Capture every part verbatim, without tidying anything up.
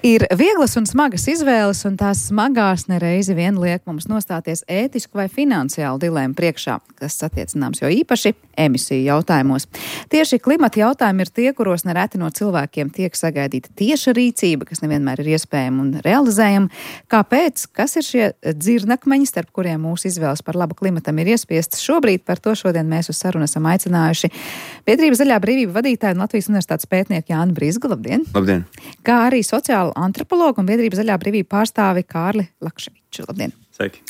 Ir vieglas un smagas izvēles, un tās smagās nereizi vien liek mums nostāties ētisku vai finansiālu dilēmu priekšā, kas attiecināms jo īpaši emisiju jautājumos. Tieši klimata jautājumi ir tie, kuros nereti no cilvēkiem tiek sagaidīta tieša rīcība, kas nevienmēr ir iespējama un realizējama. Kāpēc? Kas ir šie dzirnakmeņi, starp kuriem mūsu izvēles par labu klimatam ir iespiestas? Šobrīd par to šodien mēs uz sarunu esam aicinājuši Biedrības Zaļā brīvība vadītāju un Latvijas Universitātes pētnieku Jāni Brizgu. Labdien! Labdien! Kā arī sociālu antropologu un Biedrības Zaļā brīvība pārstāvi Kārli Lakševiču. Labdien! Sveiki!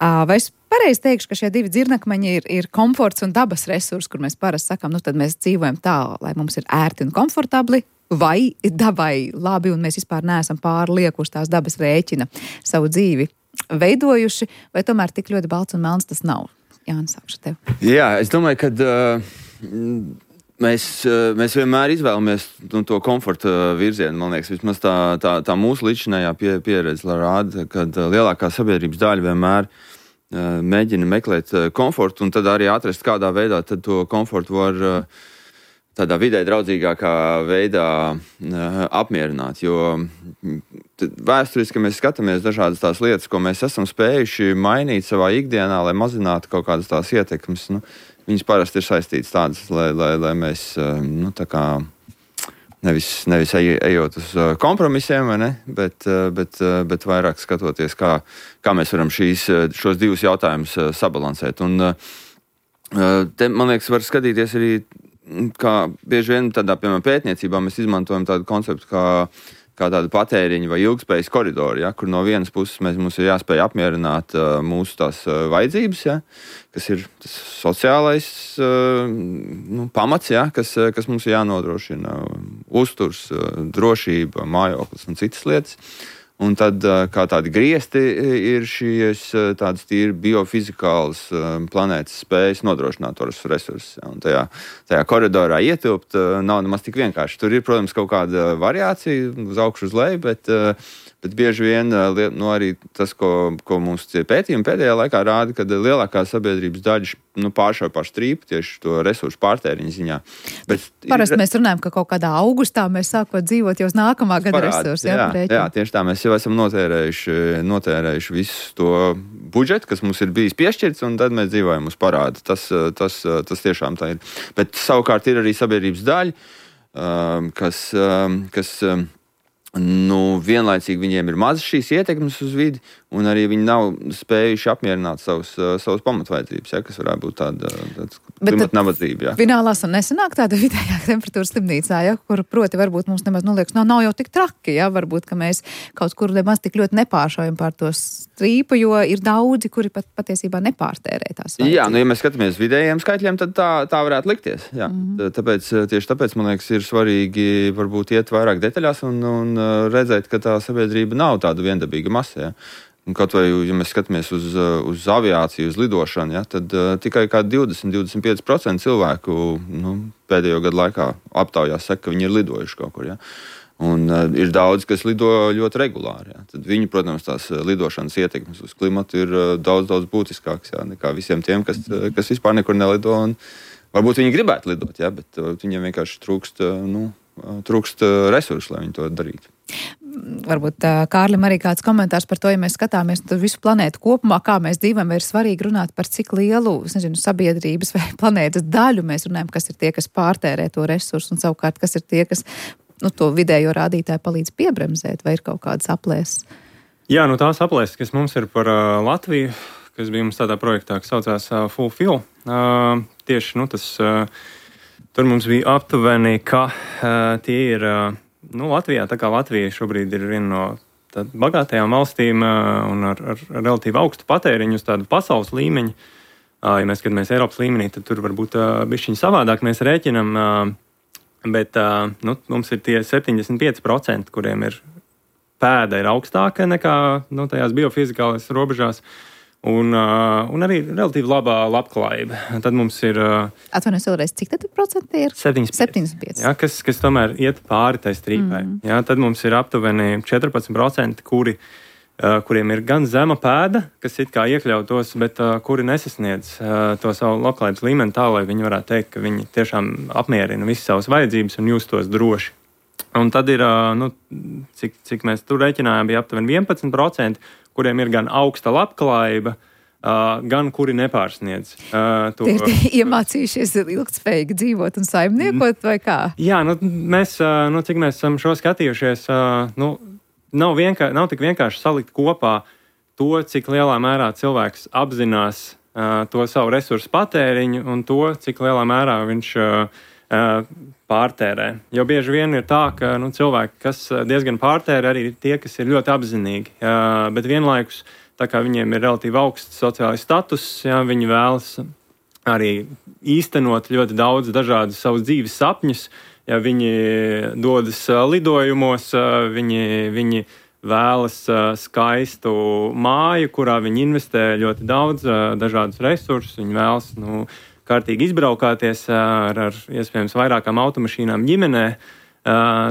Vai es pareizi teikšu, ka šie divi dzirnakmeņi ir, ir komforts un dabas resursi, kur mēs parasti sakām, nu tad mēs dzīvojam tā, lai mums ir ērti un komfortabli, vai dabai labi un mēs vispār neesam pārliekuši tās dabas rēķina savu dzīvi veidojuši, vai tomēr tik ļoti balts un melns tas nav? Jāni, sākšu tev. Jā, es domāju, ka uh, mēs, uh, mēs vienmēr izvēlamies nu, to komforta virzienu, man liekas, vismaz tā, tā, tā mūsu līdzinājā pie, pieredze rāda, kad uh, lielākā sabiedrības daļa vienmēr uh, mēģina meklēt uh, komfortu un tad arī atrast, kādā veidā tad to komfortu var uh, tādā vidē draudzīgākā veidā uh, apmierināt, jo vēsturiski mēs skatāmies dažādas tās lietas, ko mēs esam spējuši mainīt savā ikdienā, lai mazinātu kaut kādas tās ietekmes. Nu, viņas parasti ir saistītas tādas, lai, lai, lai mēs uh, nu, tā kā nevis, nevis ej, ejot uz uh, kompromisiem, vai ne, bet, uh, bet, uh, bet vairāk skatoties, kā, kā mēs varam šīs, šos divus jautājumus uh, sabalansēt. Un uh, te, man liekas, var skatīties arī kā bieži vien tādā, piemēram, pētniecībā mēs izmantojam tādu konceptu kā, kā tādu patēriņu vai ilgspējas koridoru, ja, kur no vienas puses mēs, mums ir jāspēj apmierināt uh, mūsu tās uh, vajadzības, ja, kas ir tas sociālais uh, nu, pamats, ja, kas, uh, kas mums ir jānodrošina, uzturs, uh, drošība, mājoklis un citas lietas. Un tad, kā tādi griesti, ir šīs tādas tīri biofizikālas planētas spējas nodrošināt tos resursus. Un tajā, tajā koridorā ietilpt nav nemaz tik vienkārši. Tur ir, protams, kaut kāda variācija uz augšu uz leju, bet, bet bieži vien nu, arī tas, ko, ko mums pētījumi pēdējā laikā rāda, kad lielākā sabiedrības daļa nu, pāršauj par strīpu tieši to resursu pārtēriņu ziņā. Bet parasti ir, mēs runājam, ka kaut kādā augustā mēs sākot dzīvot jau uz nākamā gada parāds, resursu. Jā, jā, jā, tieši tā. Mēs jau esam notērējuši, notērējuši visu to budžetu, kas mums ir bijis piešķirts, un tad mēs dzīvojam uz parādu. Tas, tas, tas tiešām tā ir. Bet savukārt ir arī sabiedrības daļa, kas, kas nu, vienlaicīgi viņiem ir mazas šīs ietekmes uz vidi, un arī viņi nav spējuši apmierināt savus, savus pamatvajadzības, ja, kas varētu būt tāda, tāda klimata nabadzība. Ja. Finālās un nesanāk tāda vidējā temperatūra slimnīcā, ja, kur proti varbūt mums nemaz noliekas, no, nav jau tik traki, ja, varbūt, ka mēs kaut kur nemaz tik ļoti nepāršaujam pār to strīpu, jo ir daudzi, kuri pat patiesībā nepārtērē tās vajadzības. Jā, nu, ja mēs skatāmies vidējiem skaitļiem, tad tā, tā varētu likties. Jā. Mm-hmm. Tāpēc, tieši tāpēc, man liekas, ir svarīgi varbūt iet vairāk detaļās un, un redzēt, ka tā sabiedrība nav tāda viendabīga masa. Ja. Un kaut vai, ja mēs skatāmies uz, uz aviāciju, uz lidošanu, ja, tad uh, tikai kā divdesmit līdz divdesmit pieci procenti cilvēku nu, pēdējo gadu laikā aptaujās saka, ka viņi ir lidojuši kaut kur. Ja. Un uh, ir daudz, kas lido ļoti regulāri. Ja. Tad viņi, protams, tās lidošanas ietekmes uz klimatu ir uh, daudz, daudz būtiskāks ja, nekā visiem tiem, kas, uh, kas vispār nekur nelido. Un varbūt viņi gribētu lidot, ja, bet uh, viņiem vienkārši trūkst, uh, nu, uh, trūkst uh, resursu, lai viņi to darītu. Varbūt Kārlim arī kāds komentārs par to, ja mēs skatāmies visu planētu kopumā, kā mēs dzīvojam, ir svarīgi runāt par cik lielu, es nezinu, sabiedrības vai planētas daļu mēs runājam, kas ir tie, kas pārtērē to resursu, un savukārt, kas ir tie, kas nu, to vidējo rādītāju palīdz piebremzēt, vai ir kaut kādas aplēses? Jā, nu tās aplēses, kas mums ir par uh, Latviju, kas bija mums tādā projektā, kas saucās uh, Fulfill, uh, tieši, nu, tas, uh, tur mums bija aptuveni, ka uh, tie ir uh, Nu, Latvijā, tā kā Latvija šobrīd ir viena no bagātajām valstīm uh, un ar, ar relatīvi augstu patēriņu uz tādu pasaules līmeņu. Uh, ja mēs skatāmies Eiropas līmenī, tad tur varbūt uh, bišķiņ savādāk mēs rēķinam, uh, bet uh, nu, mums ir tie septiņdesmit pieci procenti, kuriem ir pēda ir augstāka nekā nu, tajās biofizikālās robežās. Un, uh, un arī relatīvi labā labklājība. Tad mums ir... Uh, Atvainojos vēlreiz, cik tad procenti ir? septiņdesmit pieci. Jā, kas, kas tomēr iet pāri tai strīpai. Mm. Jā, tad mums ir aptuveni četrpadsmit procenti, kuri, uh, kuriem ir gan zema pēda, kas it kā iekļautos, bet uh, kuri nesasniedz uh, to savu labklājības līmeni tā, lai viņi varētu teikt, ka viņi tiešām apmierina visas savas vajadzības un justos droši. Un tad ir, nu, cik, cik mēs tur rēķinājām, bija aptuveni vienpadsmit procenti, kuriem ir gan augsta labklājība, Uh, gan kuri nepārsniedz uh, to. Tie ir iemācījušies ilgtspējīgi dzīvot un saimniekot, vai kā? Jā, nu, mēs, uh, nu, cik mēs esam šo skatījušies, uh, nu, nav, vienkā, nav tik vienkārši salikt kopā to, cik lielā mērā cilvēks apzinās uh, to savu resursu patēriņu un to, cik lielā mērā viņš uh, uh, pārtērē. Jo bieži vien ir tā, ka nu, cilvēki, kas diezgan pārtērē, arī ir tie, kas ir ļoti apzinīgi, uh, bet vienlaikus tā kā viņiem ir relatīvi augsts sociālais status, jā, viņi vēlas arī īstenot ļoti daudz dažādus savus dzīves sapņus. Ja viņi dodas lidojumos, viņi, viņi vēlas skaistu māju, kurā viņi investē ļoti daudz dažādus resursus. Viņi vēlas nu, kārtīgi izbraukāties ar, ar iespējams vairākām automašīnām ģimenē.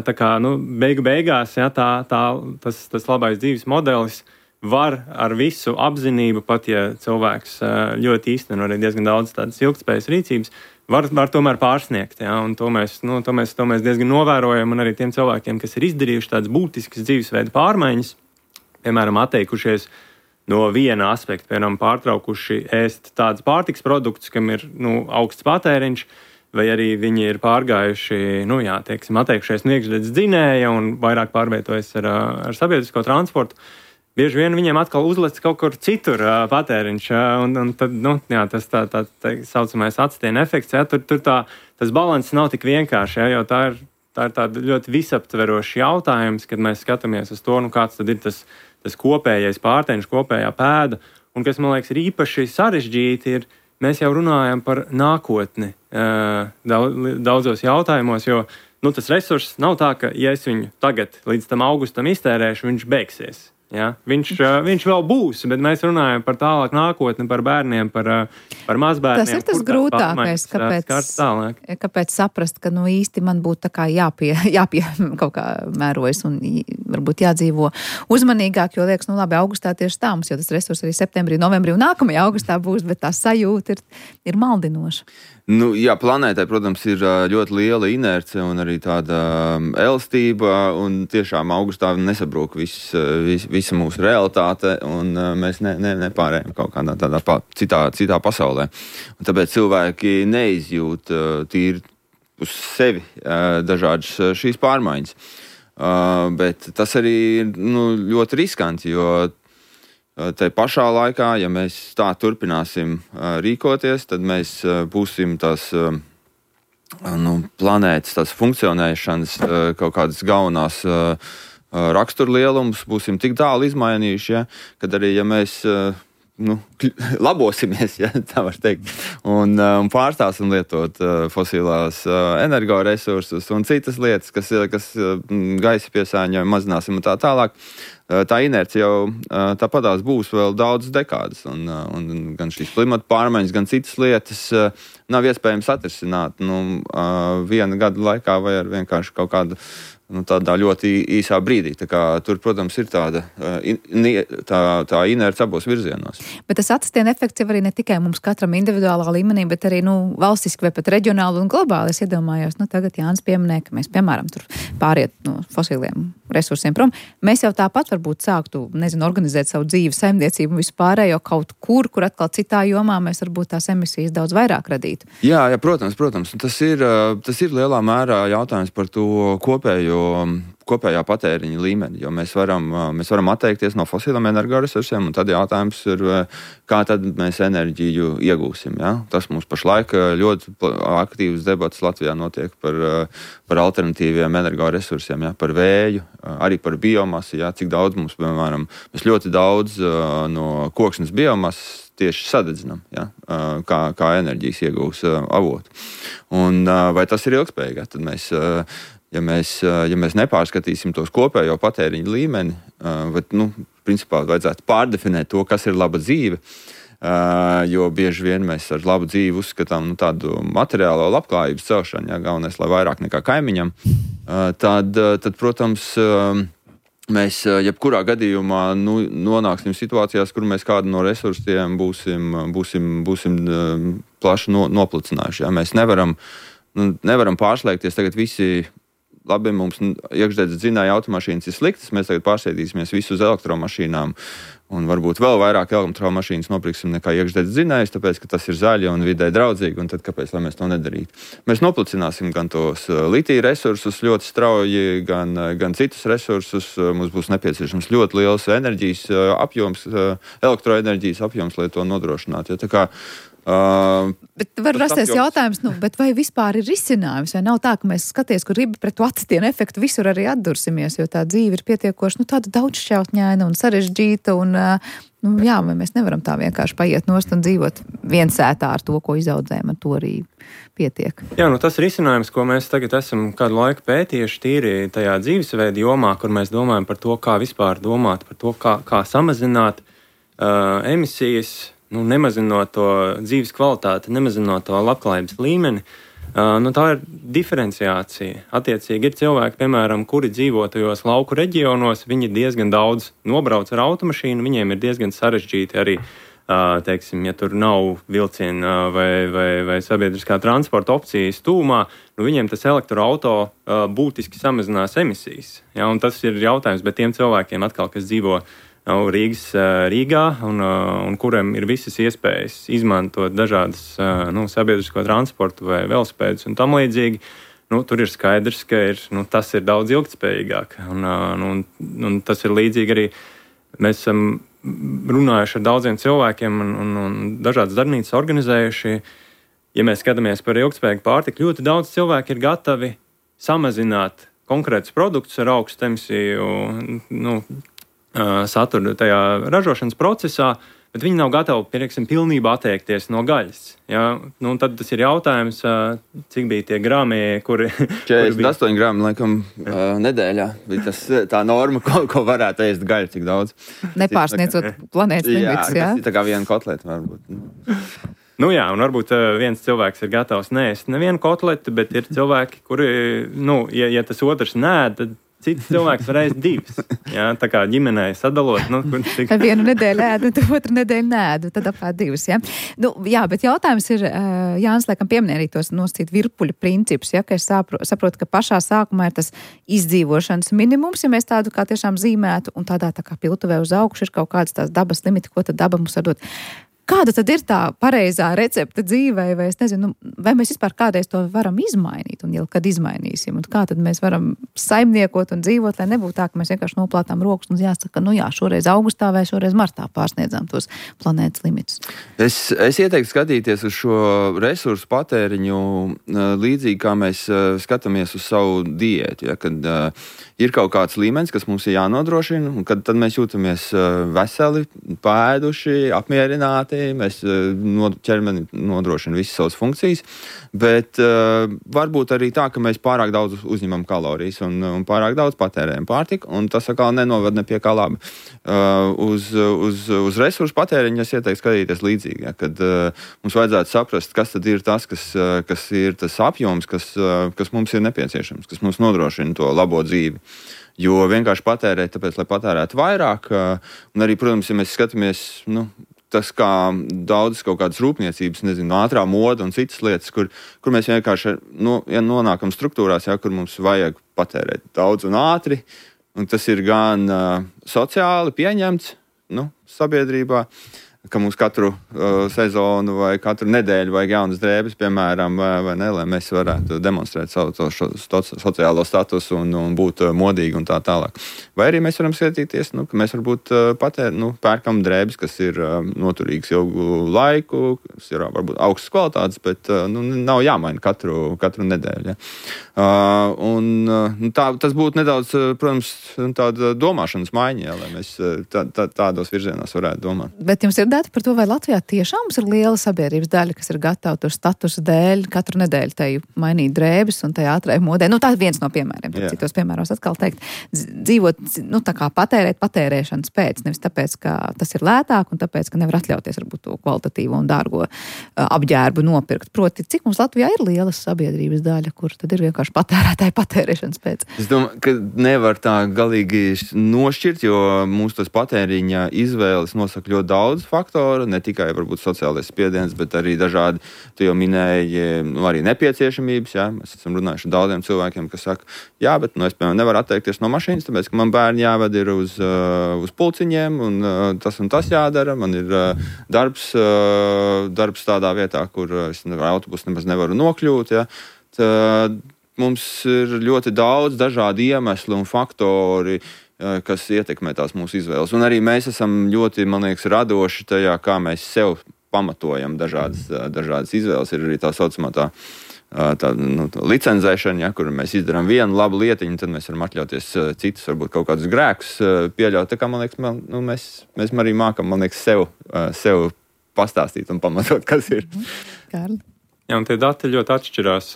Tā kā nu, beigu beigās jā, tā, tā, tas, tas labais dzīves modelis var ar visu apzinību, pat ja cilvēks ļoti īsteno arī diezgan daudz tādas ilgtspējas rīcības, var, var tomēr pārsniegt. Ja? Un to mēs, nu, to, mēs, to mēs diezgan novērojam, un arī tiem cilvēkiem, kas ir izdarījuši tādas būtiskas dzīvesveida pārmaiņas, piemēram, atteikušies no viena aspekta, piemēram, pārtraukuši ēst tādas pārtikas produktus, kam ir nu, augsts patēriņš, vai arī viņi ir pārgājuši, nu jā, teiksim, atteikušies no iekšzemes dzinēja un vairāk pārvietojas ar, ar sabiedrisko transportu. Bieži vien viņiem atkal uzlec kaut kur citur uh, patēriņš, uh, un, un tad, nu, jā, tas tā, tā, tā saucamais acetiena efekts, jā, tur, tur tā, tas balanss nav tik vienkārši, jā, jo tā ir, tā ir tāda ļoti visaptverošs jautājums, kad mēs skatāmies uz to, nu, kāds tad ir tas, tas kopējais pārtēriņš, kopējā pēda, un kas, man liekas, ir īpaši sarežģīti, ir, mēs jau runājam par nākotni uh, daudzos jautājumos, jo, nu, tas resurss nav tā, ka, ja es viņu tagad līdz tam augustam iztērēšu, viņš beigsies. Ja? Viņš, viņš vēl būs, bet mēs runājam par tālāk nākotni, par bērniem, par, par mazbērniem. Tas ir tas grūtākais, kāpēc, kāpēc saprast, ka nu īsti man būtu tā kā jāpie, jāpie kaut kā mērojas un varbūt jādzīvo uzmanīgāk, jo liekas, nu labi, augustā tieši tā mums, jo tas resurs arī septembrī, novembrī un nākamajā augustā būs, bet tā sajūta ir, ir maldinoša. Nu, jā, planētai, protams, ir ļoti liela inerce un arī tāda elastība, un tiešām augustā nesabrūk viss, vis, visa mūsu realitāte, un mēs ne, ne, nepārējām kaut kādā tādā pa, citā, citā pasaulē. Un tāpēc cilvēki neizjūt tīri uz sevi dažādas šīs pārmaiņas. Bet tas arī ir nu, ļoti riskanti, jo tai pašā laikā, ja mēs tā turpināsim uh, rīkoties, tad mēs uh, būsim tās uh, nu, planētas, tās funkcionēšanas uh, kaut kādas galvenās uh, uh, raksturlielumus būsim tik tālu izmainījuši, ja, kad arī, ja mēs uh, nu, labosimies, ja, tā var teikt, un, uh, un pārstāsim lietot uh, fosilās uh, energoresursus un citas lietas, kas, kas uh, gaisa piesārņojumu mazināsim un tā tālāk. Tā inerce jau tāpatās būs vēl daudz dekādas, un, un gan šīs klimata pārmaiņas, gan citas lietas nav iespējams atrisināt nu, viena gada laikā vai ar vienkārši kaut kādu nu, tādā ļoti īsā brīdī. Tā kā, tur, protams, ir tāda tā, tā inerce abos virzienos. Bet tas acetiena efekts jau arī ne tikai mums katram individuālā līmenī, bet arī nu, valstiski vai pat reģionāli un globāli. Es iedomājos, nu, tagad Jānis pieminēja, ka mēs, piemēram, tur pāriet no fosiliem resursiem prom. Mēs jau tāpat varbūt sāktu, nezinu, organizēt savu dzīvi, saimniecību un visu pārējo kaut kur, kur atkal citā jomā mēs varbūt tās emisijas daudz vairāk radītu. Jā, jā, protams, protams. Tas ir, tas ir lielā mērā jautājums par to kopējo kopējā patēriņa līmeni, jo mēs varam, mēs varam atteikties no fosiliem energoresursiem, un tad jautājums ir, kā tad mēs enerģiju iegūsim. Ja? Tas mums pašlaik ļoti aktīvs debats Latvijā notiek par, par alternatīviem energoresursiem, ja? Par vēju, arī par biomasu, ja? Cik daudz mums, piemēram, mēs ļoti daudz no koksnes biomasas tieši sadedzinam, ja? kā, kā enerģijas iegūs avotu. Un vai tas ir ilgspējīgi? Tad mēs Ja mēs, ja mēs nepārskatīsim tos kopējo patēriņu līmeni, bet, nu, principā vajadzētu pārdefinēt to, kas ir laba dzīve, jo bieži vien mēs ar labu dzīvi uzskatām nu, tādu materiālo labklājības celšanu, ja galvenais, lai vairāk nekā kaimiņam, tad, tad protams, mēs jebkurā gadījumā nu, nonāksim situācijās, kur mēs kādu no resursiem būsim, būsim, būsim plaši no, noplicinājuši. Ja? Mēs nevaram, nu, nevaram pārslēgties tagad visi labi, mums iekšdedzes dzinēja automašīnas ir sliktas, mēs tagad pārsēdīsimies visu uz elektromašīnām. Un varbūt vēl vairāk elektromašīnas nopirksim nekā iekšdedzes dzinējus, tāpēc, ka tas ir zaļi un vidē draudzīgi, un tad kāpēc, lai mēs to nedarītu? Mēs noplicināsim gan tos litija resursus ļoti strauji, gan, gan citus resursus. Mums būs nepieciešams ļoti liels enerģijas apjoms, elektroenerģijas apjoms, lai to nodrošinātu. Ja, tā kā Uh, bet var rasties apjoms... jautājums, nu, bet vai vispār ir risinājums, vai nav tā, ka mēs skaties, kur ribi pret to acitienu efektu visur arī atdursimies, jo tā dzīve ir pietiekoši, nu, tāda daudzšķautņaina un sarežģīta, un, nu, jā, vai mēs nevaram tā vienkārši paiet nost un dzīvot viensētā ar to, ko izaudzējam, ar to arī pietiek. Jā, nu tas risinājums, ko mēs tagad esam kādu laiku pētījuši tīri tajā dzīvesveida jomā, kur mēs domājam par to, kā vispār domāt, par to, kā, kā samazināt uh, emisijas, nu, nemazinot to dzīves kvalitāti, nemazinot to labklājības līmeni, uh, nu, tā ir diferenciācija. Attiecīgi ir cilvēki, piemēram, kuri dzīvo tajos lauku reģionos, viņi diezgan daudz nobrauc ar automašīnu, viņiem ir diezgan sarežģīti arī, uh, teiksim, ja tur nav vilciena vai, vai, vai sabiedriskā transporta opcijas tūmā, nu, viņiem tas elektroauto uh, būtiski samazinās emisijas. Ja, un tas ir jautājums, bet tiem cilvēkiem atkal, kas dzīvo Rīgas, Rīgā un, un kuriem ir visas iespējas izmantot dažādas nu, sabiedrisko transportu vai velospēdus un tam līdzīgi, nu, tur ir skaidrs, ka ir, nu, tas ir daudz ilgtspējīgāk. Un, un, un tas ir līdzīgi arī, mēs esam runājuši ar daudziem cilvēkiem un, un, un dažādas darbnīcas organizējuši. Ja mēs skatāmies par ilgtspējīgu pārtiku, ļoti daudz cilvēki ir gatavi samazināt konkrētus produktus ar augstu emisiju, nu, saturu tajā ražošanas procesā, bet viņi nav gatavi, piemēram, pilnībā atteikties no gaļas. Ja? Nu, tad tas ir jautājums, cik bija tie grāmi, kuri... četrdesmit astoņi grāmi, laikam, nedēļā. Bija tas tā norma, ko, ko varētu ēst gaļu, cik daudz. Nepārsniecot planētas limitus, jā? Jā, tas ir tā kā viena kotleta, varbūt. Nu jā, un varbūt viens cilvēks ir gatavs neēst nevienu kotletu, bet ir cilvēki, kuri, nu, ja, ja tas otrs nēd, tad cits cilvēks var ēst divas. Jā, tā kā ģimenē sadalot. Nu, cik... Vienu nedēļu ēdu, tad otru nedēļu nēdu, tad apkārt divas. Ja? Nu, jā, bet jautājums ir, Jānis, laikam pieminēja arī tos nosacīt virpuļu principus, ja, ka es saprotu, saprotu, ka pašā sākumā ir tas izdzīvošanas minimums, ja mēs tādu kā tiešām zīmētu, un tādā tā kā piltuvē uz augšu ir kaut kādas tās dabas limiti, ko tad daba mums var dot. Kāda tad ir tā pareizā recepte dzīvē, vai es nezinu, vai mēs vispār kādreiz to varam izmainīt, un jau kad izmainīsim, un kā tad mēs varam saimniekot un dzīvot, lai nebūtu tā, ka mēs vienkārši noplātām rokas un jāsaka, nu jā, šoreiz augustā vai šoreiz martā pārsniedzām tos planētas limitus. Es, es ieteiktu skatīties uz šo resursu patēriņu līdzīgi, kā mēs skatāmies uz savu diētu, ja, kad uh, ir kaut kāds līmenis, kas mums ir jānodrošina, un kad tad mēs jūtamies uh, veseli, pēduši, apmierināti, mēs no, ķermeni nodrošina visas savas funkcijas, bet uh, varbūt arī tā, ka mēs pārāk daudz uzņemam kalorijas un, un pārāk daudz patērējam pārtiku, un tas atkal nenovad ne pie kā labi. Uh, uz, uz, uz resursu patēriņu es ieteiktu skatīties līdzīgi, ja, kad uh, mums vajadzētu saprast, kas tad ir tas, kas, uh, kas ir tas apjoms, kas, uh, kas mums ir nepieciešams, kas mums nodrošina to labo dzīvi. Jo vienkārši patērēt, tāpēc, lai patērētu vairāk, uh, un arī, protams, ja mēs skatāmies, nu, tas kā daudzas kaut kādas rūpniecības, nezinu, ātrā moda un citas lietas, kur, kur mēs vienkārši no, ja nonākam struktūrās, ja, kur mums vajag patērēt daudz un ātri, un tas ir gan uh, sociāli pieņemts, nu, sabiedrībā, ka mums katru uh, sezonu vai katru nedēļu vajag jaunas drēbes, piemēram, vai, vai ne, lai mēs varētu demonstrēt savu to, šo, to sociālo statusu un, un būt uh, modīgi un tā tālāk. Vai arī mēs varam skatīties, nu, ka mēs varbūt uh, patēr, nu, pērkam drēbes, kas ir uh, noturīgas ilgu laiku, kas ir uh, varbūt augstas kvalitātes, bet uh, nu, nav jāmaina katru, katru nedēļu. Ja. Uh, un uh, tā, tas būtu nedaudz, uh, protams, tāda domāšanas maiņa, ja, lai mēs uh, tā, tā, tādos virzienos varētu domāt. Bet jums ir dati par to, vai Latvijā tiešām mums ir liela sabiedrības daļa, kas ir gatava tur statusa dēļ katru nedēļu tai mainīt drēbes un tai ātrai modē. Nu, tā ir viens no piemēriem. Tad citos piemēros atkal teikt, dzīvot, nu, tā kā patērēt patērēšanas pēc, nevis tāpēc, ka tas ir lētāk un tāpēc, ka nevar atļauties varbūt to kvalitatīvo un dārgo uh, apģērbu nopirkt. Proti, cik mums Latvijā ir liela sabiedrības daļa, kur tad ir vienkārši patērētāji patērēšanas pēc? Es domāju, ka nevar tā galīgi nošķirt, jo mūsu tas patēriņa izvēles nosaka ļoti daudz faktu. faktori, ne tikai varbūt sociālais spiediens, bet arī dažādi, tu jau minēji, nu, arī nepieciešamības. Jā. Mēs esam runājuši ar daudziem cilvēkiem, kas saka, jā, bet nu, es, piemēram, nevaru atteikties no mašīnas, tāpēc, ka man bērni jāved ir uz, uh, uz pulciņiem, un uh, tas un tas jādara. Man ir uh, darbs, uh, darbs tādā vietā, kur es ar autobusu nemaz nevaru nokļūt. Jā. Tā, mums ir ļoti daudz dažādu iemeslu un faktori, kas ietekmē tās mūsu izvēles. Un arī mēs esam ļoti, man liekas, radoši tajā, kā mēs sev pamatojam dažādas, dažādas izvēles. Ir arī tā saucamā tā, tā nu, licenzēšana, ja, kur mēs izdarām vienu labu lietiņu, tad mēs varam atļauties citus, varbūt kaut kādus grēkus pieļaut. Tā kā, man liekas, man, nu, mēs, mēs arī mākam, man liekas, sev, sev pastāstīt un pamatot, kas ir. Kārli. Jā, un tie dati ļoti atšķirās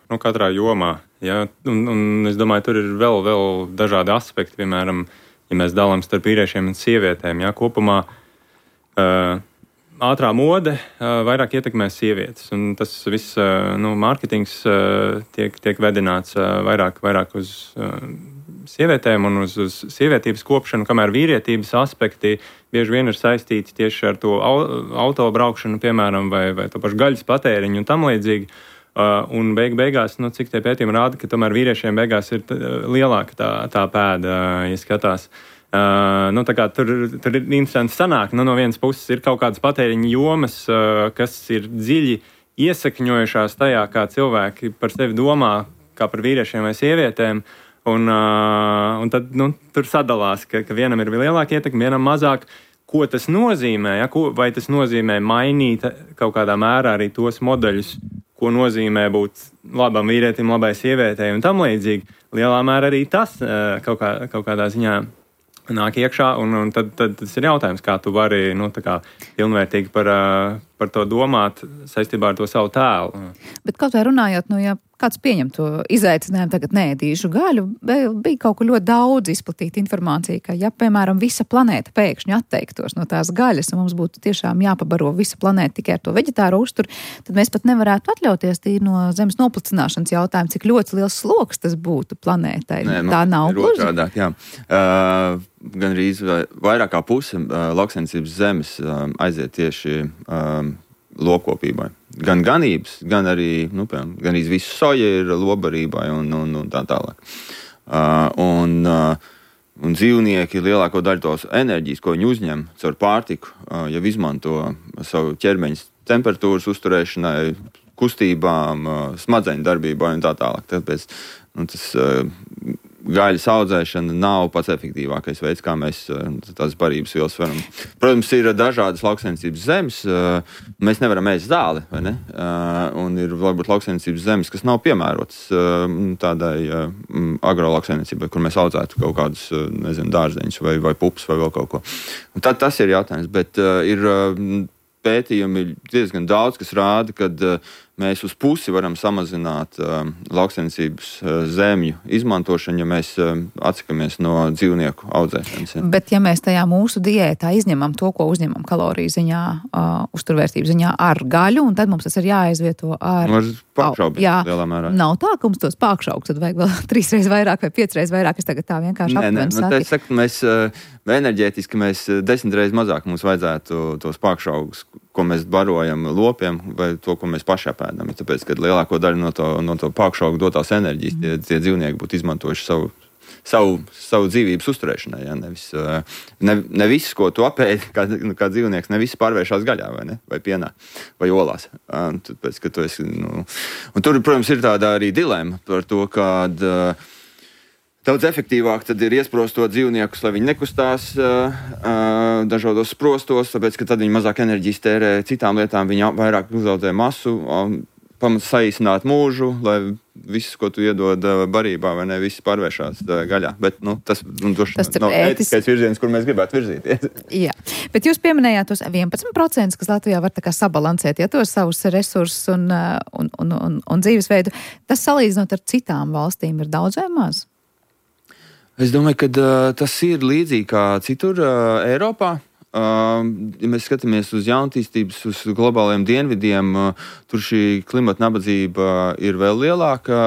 nu, katrā jomā. Ja? Un, un es domāju, tur ir vēl, vēl dažādi aspekti. Piemēram, ja mēs dalām starp vīriešiem un sievietēm, ja? Kopumā uh, ātrā mode uh, vairāk ietekmē sievietes. Un tas viss uh, nu, mārketings uh, tiek, tiek vedināts uh, vairāk, vairāk uz uh, sievietēm un uz, uz sievietības kopšanu, kamēr vīrietības aspekti bieži vien ir saistīti tieši ar to auto braukšanu, piemēram, vai, vai to pašu gaļas patēriņu un tam līdzīgi. Uh, un beig beigās, nu, cik tie pētījumi rāda, ka tomēr vīriešiem beigās ir t- lielāka tā, tā pēda, uh, ja skatās. Uh, nu, tā kā tur, tur ir interesanti sanāk. Nu, no vienas puses ir kaut kādas patēriņa jomas, uh, kas ir dziļi iesakņojušās tajā, kā cilvēki par sevi domā, kā par vīriešiem vai sievietēm. Un, uh, un tad nu, tur sadalās, ka, ka vienam ir lielāka ietekme, vienam mazāk. Ko tas nozīmē? Ja? Ko, vai tas nozīmē mainīt kaut kādā mērā arī tos modeļus, ko nozīmē būt labam vīrietim, labai sievietei un tam līdzīgi? Lielā mērā arī tas uh, kaut, kā, kaut kādā ziņā nāk iekšā, un, un tad, tad tas ir jautājums, kā tu vari nu, tā kā pilnvērtīgi par, uh, par to domāt saistībā ar to savu tēlu. Bet kaut vai runājot, nu, ja kāds pieņem to izaicinājumu, tagad neēdīšu gaļu, bija kaut kur ļoti daudz izplatīta informācija, ka, ja, piemēram, visa planēta pēkšņi atteiktos no tās gaļas, un mums būtu tiešām jāpabaro visa planēta tikai ar to veģetāro uzturu, tad mēs pat nevarētu atļauties tīri no zemes noplicināšanas jautājumu, cik ļoti liels sloks tas būtu planētai. Nē, tā nav gluži. Otrādāk, jā. Uh, gan arī vairāk kā puse uh, lauksaimniecības zemes uh, aiziet tieši uh, lopkopībai. Gan ganības, gan arī, nu, piemēram, gan arī visu soja ir lobarībai un, un, un tā tālāk. Uh, un, uh, un dzīvnieki lielāko daļu tos enerģijas, ko viņi uzņem caur pārtiku, uh, jau izmanto savu ķermeņa temperatūras uzturēšanai, kustībām, uh, smadzeņu darbībai un tā tālāk. Tāpēc nu, tas uh, gaļas audzēšana nav pats efektīvākais veids, kā mēs tās barības vielas varam. Protams, ir dažādas lauksaimniecības zemes. Mēs nevaram ēst zāli, vai ne? Un ir varbūt lauksaimniecības zemes, kas nav piemērotas tādai agrolauksaimniecībai, kur mēs audzētu kaut kādus, nezinu, dārzeņus vai, vai pupus vai vēl kaut ko. Un tad tas ir jautājums, bet ir pētījumi diezgan daudz, kas rāda, kad mēs uz pusi varam samazināt uh, lauksaimniecības uh, zemju izmantošanu, ja mēs uh, atsakamies no dzīvnieku audzēšanas. Ja. Bet ja mēs tajā mūsu diētā izņemam to, ko uzņemam kaloriju ziņā, uh, uzturvērtības ziņā ar gaļu, un tad mums tas ir jāaizvieto ar... Ar pākšaugu, jā, lielā mērā. Nav tā, ka mums tos pākšaugus tad vajag vēl trīsreiz vairāk vai piecreiz vairāk. Es tagad tā vienkārši aptuveni saku. Nē, nē, saku, mēs uh, enerģētiski mēs desmitreiz mazāk mums vajadzētu tos pākšaugus, ko mēs barojam lopiem, vai to, ko mēs paši apēdam. Tāpēc, kad lielāko daļu no to, no to pākšaugu dotās enerģijas, tie, tie dzīvnieki būtu izmantojuši savu, savu, savu dzīvības uzturēšanai. Ja? Nevis, ne, ne viss, ko tu apēdi, kā, kā dzīvnieks, ne viss pārvēršās gaļā vai, ne? Vai pienā vai olās. Tāpēc, ka tu esi, nu... Un tur, protams, ir tāda arī dilema par to, kad daudz efektīvāk tad ir iesprostot dzīvniekus, lai viņi nekustās uh, uh, dažādos sprostos, tāpēc, ka tad viņi mazāk enerģijas tērē citām lietām, viņi vairāk uzaudzē masu, um, pamats saīsināt mūžu, lai viss, ko tu iedod uh, barībā, vai ne, viss pārvēršās uh, gaļā. Bet, nu, tas, nu, tas nav ētiskais virziens, kur mēs gribētu virzīties. Jā, bet jūs pieminējāt tos vienpadsmit procentus, kas Latvijā var tā kā sabalansēt, ja tos savus resursus un, un, un, un, un dzīvesveidu. Tas salīdzinot ar citām valstīm ir daudz vai maz? Es domāju, ka uh, tas ir līdzīgi kā citur uh, Eiropā. Uh, ja mēs skatāmies uz jaunatīstības, uz globāliem dienvidiem, uh, tur šī klimata nabadzība ir vēl lielāka,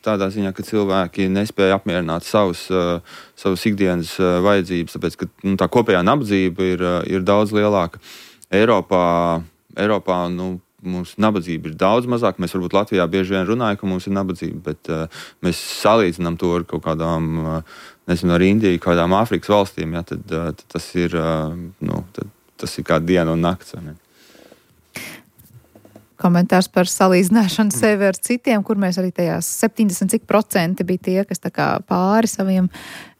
tādā ziņā, ka cilvēki nespēja apmierināt savus, uh, savus ikdienas uh, vajadzības, tāpēc, ka nu, tā kopējā nabadzība ir, uh, ir daudz lielāka. Eiropā, Eiropā nu, mums nabadzība ir daudz mazāk. Mēs varbūt Latvijā bieži vien runājam, ka mums ir nabadzība, bet uh, mēs salīdzinām to ar kaut kādām, uh, nezinu, ar Indiju, kādām Āfrikas valstīm, ja, tad, uh, tad tas ir, uh, nu, tad, tas ir kā diena un nakts. Ne? Komentārs par salīdzināšanu sevi ar citiem, kur mēs arī tajās septiņdesmit cik procenti bija tie, kas tā kā pāri saviem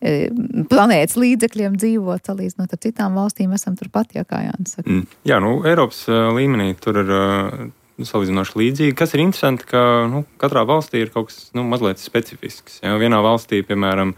e, planētas līdzekļiem dzīvot, salīdzinot ar citām valstīm, esam turpat, jā, kā Jānis saka. Mm. Jā, nu, Eiropas uh, līmenī tur ir uh, salīdzinoši līdzīgi. Kas ir interesanti, ka nu, katrā valstī ir kaut kas nu, mazliet specifisks. Jā. Vienā valstī, piemēram,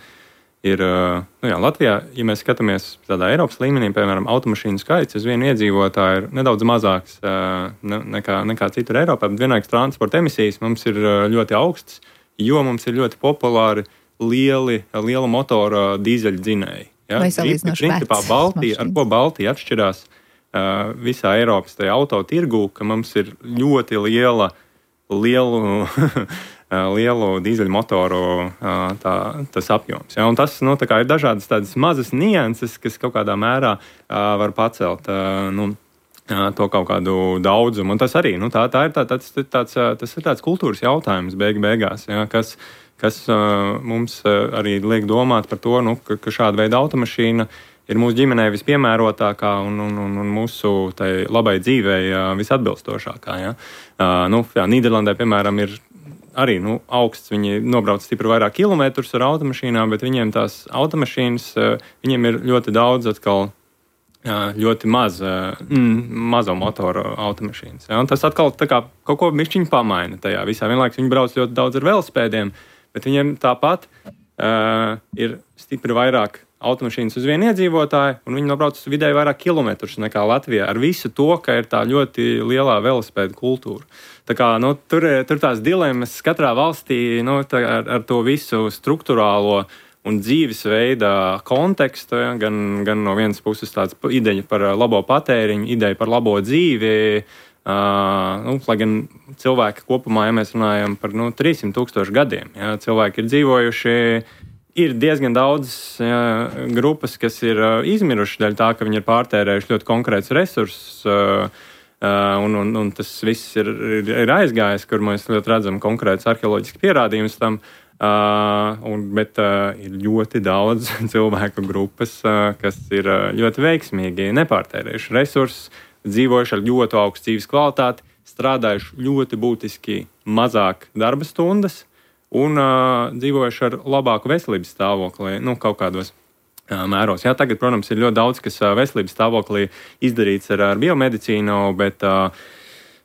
ir, nu jā, Latvijā, ja mēs skatāmies tādā Eiropas līmenī, piemēram, automašīnu skaits uz vienu iedzīvotāju ir nedaudz mazāks ne, nekā, nekā citur Eiropā, bet vienlaikus transporta emisijas mums ir ļoti augstas, jo mums ir ļoti populāri lieli, liela motora dīzeļu dzinēji. Ja? Vai salīdzinoši Principā Baltija, ar ko Baltija atšķirās uh, visā Eiropas tajā auto tirgū, ka mums ir ļoti liela, lielu lielu dīzeļmotoru tā, tas apjoms. Ja? Un tas nu, ir dažādas tādas mazas nianses, kas kaut kādā mērā var pacelt nu, to kaut kādu daudzumu. Un tas arī nu, tā, tā ir, tā, tāds, tāds, tas ir tāds kultūras jautājums beig beigās, ja? kas, kas mums arī liek domāt par to, nu, ka, ka šāda veida automašīna ir mūsu ģimenei vispiemērotākā un, un, un, un mūsu tai labai dzīvei visatbilstošākā. Ja? Nu, jā, Nīderlandē, piemēram, ir arī nu, augsts. Viņi nobrauc stipri vairāk kilometrus ar automašīnām, bet viņiem tās automašīnas, viņiem ir ļoti daudz atkal ļoti maz, mazo motoru automašīnas. Ja? Un tas atkal tā kā kaut ko bišķiņ pamaina tajā visā. Vienlaikus viņi brauc ļoti daudz ar velospēdiem, bet viņiem tāpat uh, ir stipri vairāk automašīnas uz vienu iedzīvotāju, un viņi nobrauc vidēji vairāk kilometrus nekā Latvijā, ar visu to, ka ir tā ļoti lielā velospēda kultūra. Tā kā, nu, tur, tur tās dilemmas katrā valstī nu, ar, ar to visu struktūrālo un dzīvesveida kontekstu, ja, gan, gan no vienas puses tāds ideja par labo patēriņu, ideja par labo dzīvi, uh, nu, lai gan cilvēki kopumā, ja mēs runājam par nu, trīsimt tūkstošu gadiem, ja, cilvēki ir dzīvojuši. Ir diezgan daudz jā, grupas, kas ir uh, izmiruši dēļ tā, ka viņi ir pārtērējuši ļoti konkrētus resursus, uh, uh, un, un, un tas viss ir, ir, ir aizgājis, kur mēs ļoti redzam konkrētus arheoloģiskus pierādījumus tam, uh, un, bet uh, ir ļoti daudz cilvēku grupas, uh, kas ir uh, ļoti veiksmīgi nepārtērējuši resursus, dzīvojuši ar ļoti augstu dzīves kvalitāti, strādājuši ļoti būtiski mazāk darba stundas, un uh, dzīvojuši ar labāku veselības stāvokli, nu, kaut kādos uh, mēros. Jā, tagad, protams, ir ļoti daudz, kas uh, veselības stāvoklī izdarīts ar, ar biomedicīnu, bet, uh,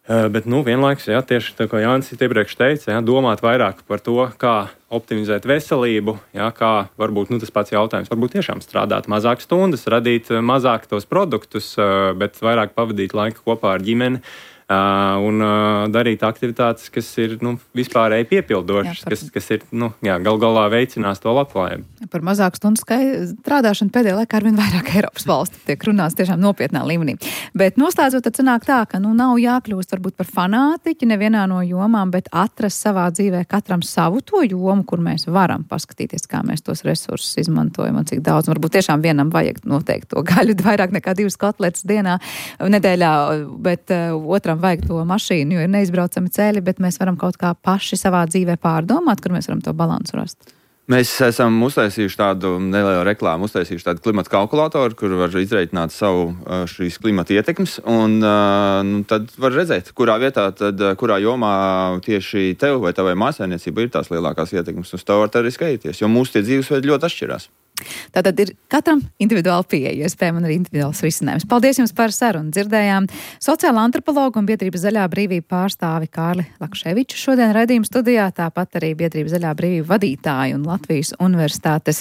uh, bet nu, vienlaikus, jā, tieši tā, ko Jānis iepriekš teica, jā, domāt vairāk par to, kā optimizēt veselību, jā, kā varbūt nu, tas pats jautājums, varbūt tiešām strādāt mazāk stundas, radīt mazāk tos produktus, uh, bet vairāk pavadīt laiku kopā ar ģimeni. Uh, un uh, darīt aktivitātes, kas ir nu, vispārēji piepildošas, jā, par... kas, kas ir nu, jā, gal galā veicinās to labklājību. Par mazāku stundu strādāšanu pēdējā laikā arvien vairāk Eiropas valstu tiek runāts tiešām nopietnā līmenī. Bet noslēdzot, tad sanāk tā, ka nu, nav jākļūst varbūt par fanātiķi nevienā no jomām, bet atrast savā dzīvē katram savu to jomu, kur mēs varam paskatīties, kā mēs tos resursus izmantojam un cik daudz. Varbūt tiešām vienam vajag noteikti to gaļu vairāk nekā divas kotletes dienā, nedēļā, bet uh, otram vajag to mašīnu, jo ir neizbraucami ceļi, bet mēs varam kaut kā paši savā dzīvē pārdomāt, kur mēs varam to balansu rast. Mēs esam uztaisījuši tādu nelielu reklāmu, uztaisījuši tādu klimata kalkulātoru, kur var izreikināt savu šīs klimata ietekmes, un nu, tad var redzēt, kurā vietā, tad, kurā jomā tieši tev vai tavai mājsaimniecībai ir tās lielākās ietekmes, uz to var arī skatīties, jo mūsu tie dzīvesveidi ļoti atšķirās. Tātad ir katram individuāli pieeja, iespējams, un arī individuāls risinājums. Paldies jums par sarunu. Dzirdējām sociāla antropologu un biedrības Zaļā brīvība pārstāvi Kārli Lakševiču šodien raidījuma studijā, tāpat arī biedrības Zaļā brīvība vadītāju un Latvijas universitātes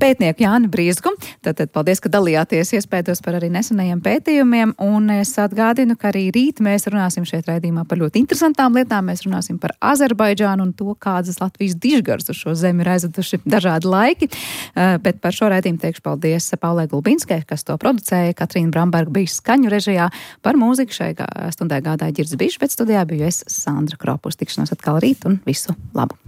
pētnieku Jāni Briezgu. Tātad paldies, ka dalījāties iespējos par arī nesenajiem pētījumiem, un es atgādinu, ka arī rīt mēs runāsim šeit raidījumā par ļoti interesantām lietām. Mēs runāsim par Azerbaidžānu un to, kādas Latvijas dižgars uz šo zemi ir aizveduši dažādi laiki. Bet par šo raidījumu teikšu paldies Paulai Gulbinskai, kas to producēja, Katrīna Bramberga bija skaņu režijā, par mūziku šai stundai gādāja Ģirds Bišs, bet studijā biju es, Sandra Kropus. Tikšanos atkal rīt un visu labu!